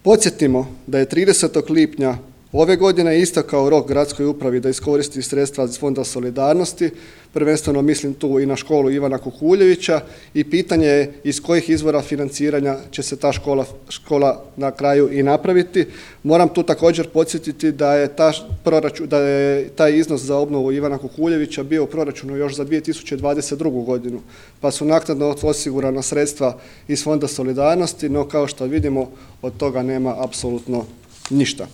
Podsjetimo da je 30. lipnja ove godine istekao rok gradskoj upravi da iskoristi sredstva iz Fonda solidarnosti, prvenstveno mislim tu i na školu Ivana Kukuljevića i pitanje je iz kojih izvora financiranja će se ta škola na kraju i napraviti. Moram tu također podsjetiti da je taj iznos za obnovu Ivana Kukuljevića bio u proračunu još za 2022. godinu, pa su naknadno osigurana sredstva iz Fonda solidarnosti, no kao što vidimo od toga nema apsolutno ništa.